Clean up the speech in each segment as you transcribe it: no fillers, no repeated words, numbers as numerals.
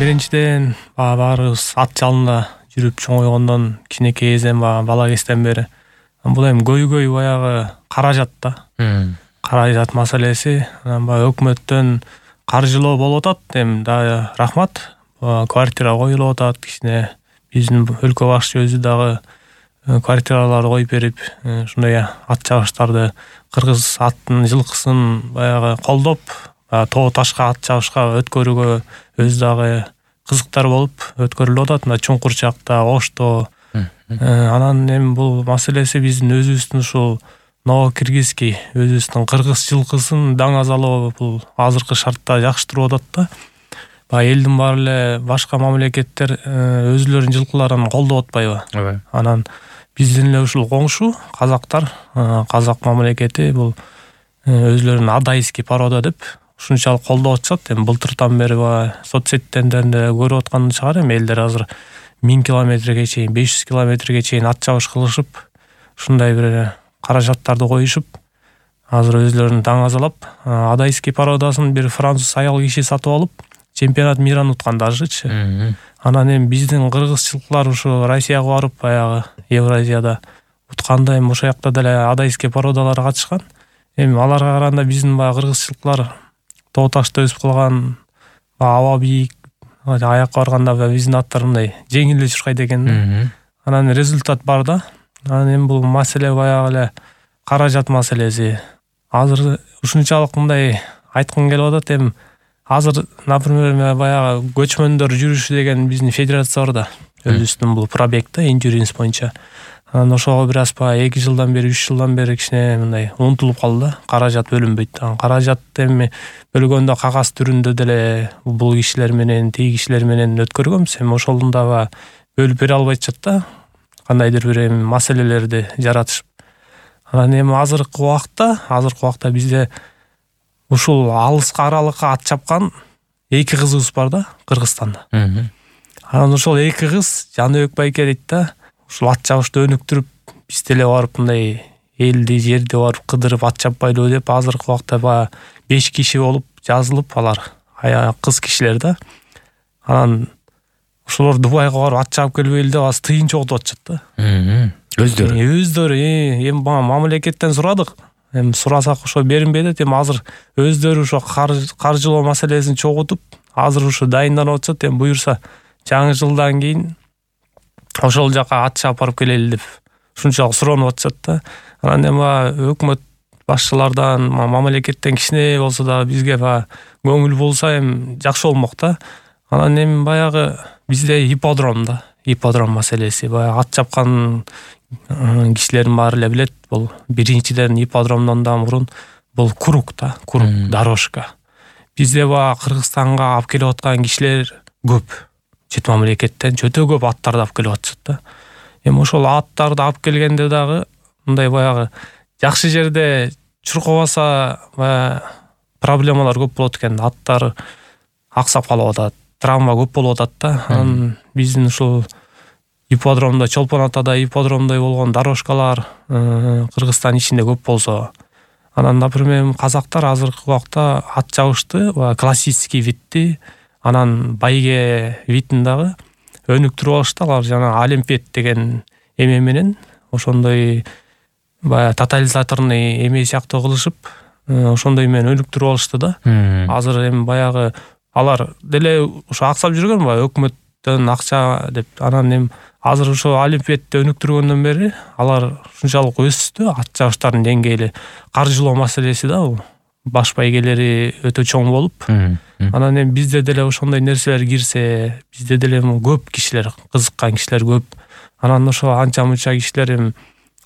биринчиден баарыбыз ат жалында жүрүп чоңойгондон кичинекей кезден бала кезден бери бул эми көйгөй баягы каражат да. Каражат маселеси баягы өкмөттөн каржылоо болуп атат. Эми дагы рахмат. Квартира коюлуп атат. Кичине биздин өлкө башчы өзү дагы квартираларды коюп берип, ушундай ат чабыштарды, кыргыз аттын жылкысын баягы колдоп, тоо ташка ат чабышка өткөрүүгө өзү дагы кызыктар болуп өткөрүлүп атат. Мына Чуңкурчакта, Ошто. Анан эми бул маселеси биздин өзүбүздүн ушул Новокиргизский өзүбүздүн кыргыз жылкысын даң азалоо бул азыркы шартта жакшы туруп атат да. Элдин баары эле башка мамлекеттер өзүлөрүнүн жылкыларын колдоп атпайбы? Анан биздин эле ушул коңшу казактар, казак мамлекети бул өзүлөрүн адайский порода деп ушунчалык колдоп атышат. Эми былтыртан бери соцсеттерден да көрүп аткан чыгар. Эми элдер азыр 1000 километрге чейин, 500 километрге чейин ат чабыш кылышып, ушундай бир каражаттарды коюшуп, азыр өзүлөрүн даң азалап, адайский породасын бир француз аял киши сатып алып, чемпионат миран уткан дажычы. Анан эми биздин кыргыз жылкылар ушу Россияга барып, баягы Евразияда утканда эми ошол жакта деле адайский породалар катышкан. Эми аларга караганда биздин кыргыз жылкылар тоо ташта өсүп калган, аба бийик, аякка барганда биздин аттар мындай жеңил эле чуркайт экен. Анан результат бар да. Анан эми бул маселе баягы эле каражат маселеси. Азыр ушунчалык мындай айткым келип атат. Эми азыр, например, баягы көчмөндөр жүрүшү деген биздин федерация бар да. Өзүбүздүн бул пробегде инжуринс боюнча. Анан ошого бир аз 2 жылдан бери, 3 жылдан бери кичине мындай унутулуп калды да. Каражат бөлүнбөйт. Каражат эми бөлгөндө кагаз түрүндө деле бул кишилер менен, тиги кишилер менен өткөргөнбүз. Эми ошолун дагы бөлүп бере албайчат да. Кандайдыр бир эми маселелерди жаратышып. Анан эми азыркы убакта бизде ушул алыска аралыкка ат чапкан 2 кызыбыз бар да, Кыргызстанда. Анан ошол 2 кыз Жаныбек байке дейт да, ушул ат чабышты өнүктүрүп, биз деле барып мындай элди, жерди барып кыдырып ат чаппайлыбы деп азыркы убакта 5 киши болуп жазылып, алар кыз кишилер да. Анан ошолор Дубайга барып ат чабып келбейли деп аз тыйын чогултуп атышат да. Өздөрү эми мамлекеттен сурадык. Эми сурасак ошо беринбей атат. Эми азыр өздөрү ошо каржылоо маселесин чогултуп, азыр ушу дайынданып атышат. Эми буюрса жаңы жылдан кийин ошол жака ат чабып барып келели деп ушунчалык суранып атышат да. Анан эми өкмөт башчылардан, мамлекеттен кичине болсо да бизге көңүл болсо эми жакшы болмок да. Анан эми баягы бизде ипподром маселеси, баягы ат чапкан кишилердин баары эле билет. Бул биринчиден ипподромдон да мурун бул круг да, дорожка. Бизде Кыргызстанга алып келип аткан кишилер көп. Чет мамлекеттен өтө көп аттарды алып келип атышат да. Эми ошол аттарды алып келгенде дагы мындай баягы жакшы жерде чуркабаса проблемалар көп болот экен. Аттар аксап калып атат, травма көп болуп атат да. Анан биздин ушул ипподромдо, Чолпон Атада ипподромдой болгон дорожкалар Кыргызстан ичинде көп болсо, анан, например, казактар азыркы убакта ат чабышты, классический видти, анан байге видин дагы өнүктүрүп алышты. Алар жана олимпиад деген эме менен ошондой тотализаторный эме сыяктуу кылышып, ошондой менен өнүктүрүп алышты да. Азыр эми баягы алар деле ошо аксап жүргөн өкмөттөн акча деп. Анан эми азыр ошо олимпиадты өнүктүргөндөн бери алар ушунчалык өстү, ат чабыштардын деңгээли. Каржылоо маселеси да, бул баш байгелери өтө чоң болуп. Анан эми бизде деле ошондой нерселер кирсе, бизде деле көп кишилер, кызыккан кишилер көп. Анан ошо анча-мынча кишилер эми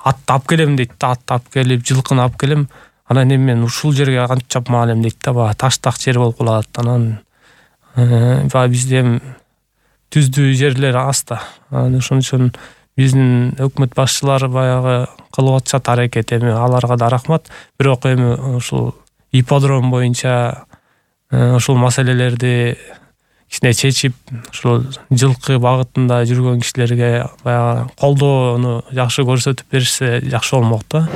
атты алып келем дейт да, атты алып келип, жылкыны алып келем. Анан эми мен ушул жерге кантип чапмак элем дейт да, таштак жер болуп калат. Анан бизде эми түздүү жерлер аз да. Анан ошон үчүн биздин өкмөт башчылары баягы кылып атышат аракет. Эми аларга да рахмат. Бирок эми ушул ипподром боюнча ушул маселелерди кичине чечип, ушул жылкы багытында жүргөн кишилерге баягы колдоону жакшы көрсөтүп беришсе жакшы болмок да.